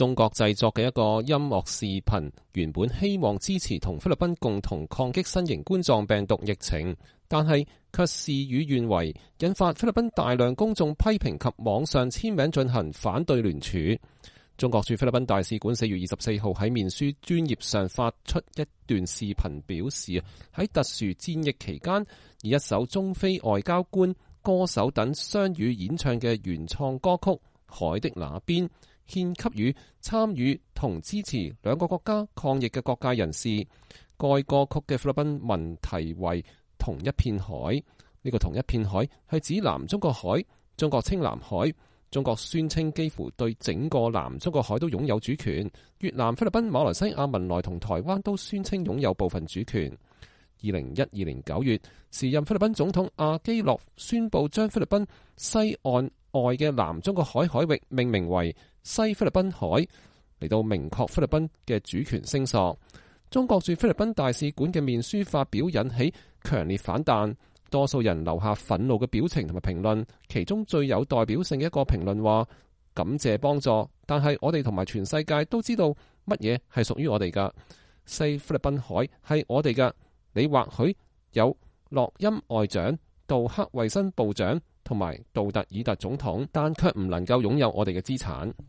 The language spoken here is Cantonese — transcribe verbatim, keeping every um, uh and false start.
中國製作嘅一個音樂視頻，原本希望支持同菲律賓共同抗擊新型冠狀病毒疫情，但係卻事與願違，引發菲律賓大量公眾批評及網上簽名進行反對聯署。中國駐菲律賓大使館四月二十四號喺面書專頁上發出一段視頻，表示喺特殊戰役期間，以一首中菲外交官、歌手等雙語演唱嘅原創歌曲《海的那邊》，獻給予參與同支持兩個國家抗疫嘅各界人士。該歌曲嘅菲律賓文題為同一片海，呢、這個同一片海係指南中國海，中國稱南海。中國宣稱幾乎對整個南中國海都擁有主權。越南、菲律賓、馬來西亞、文萊同台灣都宣稱擁有部分主權。二零一二年九月，時任菲律賓總統阿基諾宣布將菲律賓西岸外嘅南中國海海域命名為西菲律賓海，嚟到明確菲律賓嘅主權聲索。中國駐菲律賓大使館嘅面書發表引起強烈反彈，多數人留下憤怒嘅表情同埋評論。其中最有代表性嘅一個評論話：感謝幫助，但係我哋同埋全世界都知道乜嘢係屬於我哋噶。西菲律賓海係我哋噶。你或許有諾欽外長、杜克衛生部長同埋杜特爾特總統，但卻唔能夠擁有我哋嘅資產。